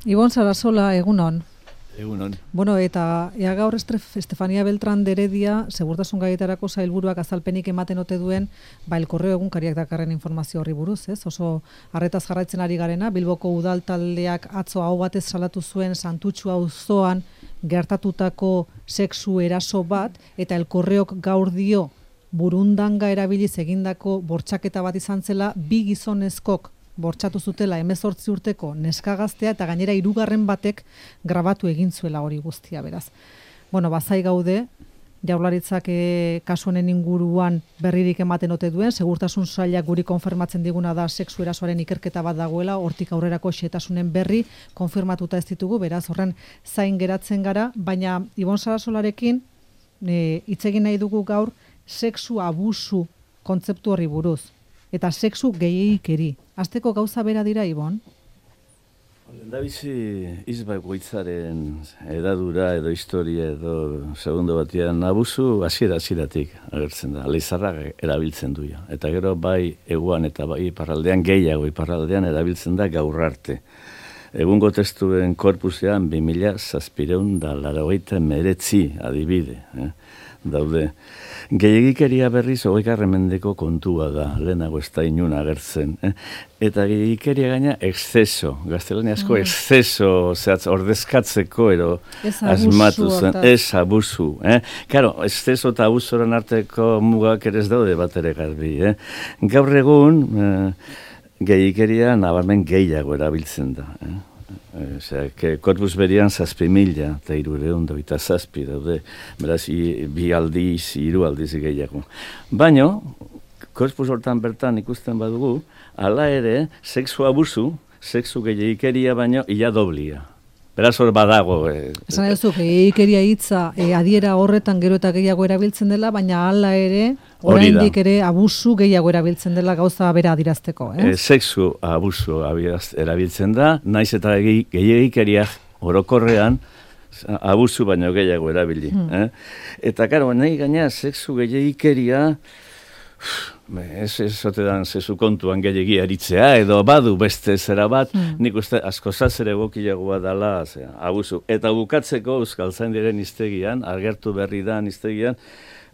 Ibon Sarasola, egunon. Egunon. Bueno, eta gaur Estefania Beltrán de Heredia, segurtasun gaietarako sailburuak azalpenik ematen ote duen, El Correo egunkariak dakarren informazio horri buruz, ez? Oso arretaz jarraitzen ari garena, Bilboko udal taldeak atzo aho batez salatu zuen Santutxu auzoan gertatutako sexu eraso bat, eta El Correok gaur dio burundanga erabiliz egindako bortxaketa bat izan zela, bi gizonezkok bortxatu zutela 18 urteko neskagaztea eta gainera 3. batek grabatu egin zuela hori guztia, beraz. Bueno, bazai gaude, Jaurlaritzak kasu honen inguruan berririk ematen ote duen, segurtasun sailak guri konfirmatzen diguna da sexu erasoaren ikerketa bat dagoela, hortik aurrerako xehetasunen berri konfirmatuta ez ditugu, beraz horren zain geratzen gara, baina Ibon Sarasolarekin hitz egin nahi dugu gaur sexu abusu kontzeptu horri buruz. Eta sexu gehiagikeri. Azteko gauza bera dira, Ibon? Lehendabizi izbakoitzaren edadura edo historia edo segundo batean abusu hasieratik agertzen da. Leizarrak erabiltzen duia. Eta gero bai eguan eta bai iparraldean gehiago iparraldean erabiltzen da gaur arte. Egungo testuen korpusean 2789 adibide. Daude. Gehiagikeria berriz 20. mendeko kontua da, lehenago ez da inun agertzen. Eta gehiagikeria gaina exceso, gaztelaniazko exceso, ordezkatzeko ero asmatu zen. Ez abusu. Karo, exceso eta abusoren arteko mugak ere ez daude bat ere garbi. Gaur egun, gehiagikeria nabarmen gehiago erabiltzen da. Korpus berian 7.000 eta 327 daude, beraz, 2 aldiz, 3 aldiz gehiago. Baina, korpus hortan bertan ikusten badugu, hala ere, sexu abusu, sexu gehiagikeria baino, ia doblia. Beraz hor badago. Esan duzu, gehiagikeria hitza adiera horretan gero eta gehiago erabiltzen dela, baina hala ere, oraindik ere abusu gehiago erabiltzen dela gauza bera adirazteko. Sexu abusu erabiltzen da, naiz eta gehiagikeria orokorrean abusu baino gehiago erabili. Eta karo, nahi gaina sexu gehiagikeria, ez ote dan zezu kontuan gehiagia eritzea, edo badu beste zera bat, nik uste askozaz ere egokiagoa dela abusu. Eta bukatzeko Euskaltzaindiaren hiztegian, agertu berri da hiztegian,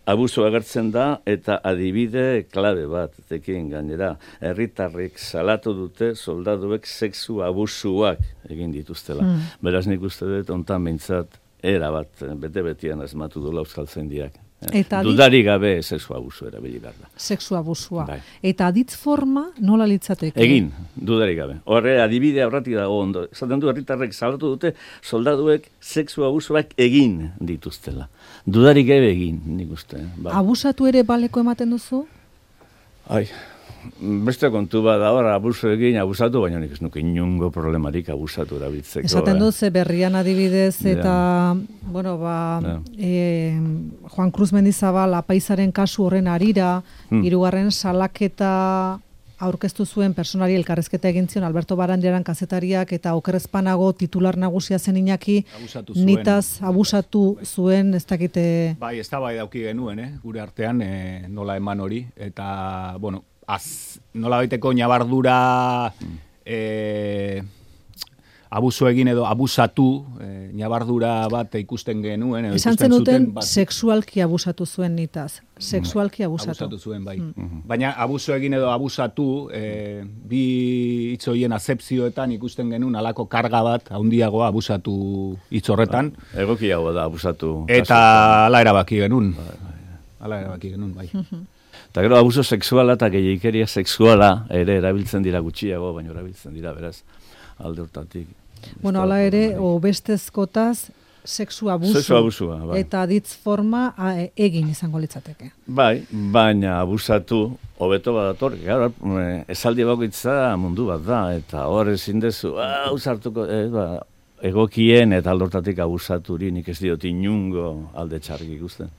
abusu agertzen da eta adibide klabe bat, tekin gainera, herritarrek salatu dute soldaduek sexu abusuak egin dituztela. Beraz nik uste dut ontan behintzat era bat, bete-betian asmatu dula Euskaltzaindiak. Dudari gabe sexu abusu erabili behar da. Sexu abusua. Bai. Eta aditz forma nola litzateke? Egin, dudari gabe. Horre, adibide aurratik dago ondo. Zaten du, herritarrek salatu dute, soldaduek sexu abusuak egin dituztela. Dudari gabe egin, nik uste. Bai. Abusatu ere baleko ematen duzu? Ai, beste kontu bat da, abusu egin, abusatu, baina nik ez nuke inungo problemarik abusatu erabiltzeko. Esaten dut, berrian adibidez, eta, bueno, Juan Cruz Mendizabal apaizaren kasu horren arira, 3. salaketa aurkeztu zuen personari elkarrezketa egin zion Alberto Barandiaran kazetariak eta okerrezpanago titular nagusia zen Iñaki, nitaz abusatu zuen, ez dakite... Bai, ez da bai dauki genuen, gure artean, nola eman hori, eta, bueno, nola baiteko ñabardura abusu egin edo abusatu, ñabardura bat ikusten genuen. Esan zenuten sexualki abusatu zuen nitaz. Sexualki abusatu. Abusatu zuen, bai. Baina abusu egin edo abusatu, bi hitzoien azepzioetan ikusten genuen alako karga bat, handiagoa abusatu hitz horretan. Egokiago da abusatu. Eta ala erabaki genuen. Bai. Eta gero, abuso sexuala eta gehiagikeria sexuala ere erabiltzen dira gutxiago, baina erabiltzen dira, beraz, alde hortatik. Bueno, ala ere, obestezkotaz, sexu abusu. Sexu abusua, bai. Eta ditz forma egin izango litzateke. Bai, baina abusatu, hobeto badator, esaldi bakoitza mundu bat da, eta hor ezin dezu, ausartuko, egokien eta alde hortatik abusaturi, nik ez diot inungo alde txarrik ikusten.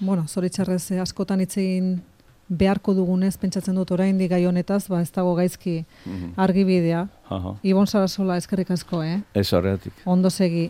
Bueno, zoritxarrez askotan hitz egin beharko dugunez, pentsatzen dut oraindik gai honetaz, ez dago gaizki argibidea. Ibon Sarasola, eskerrik asko, Ez horregatik. Ondo segi.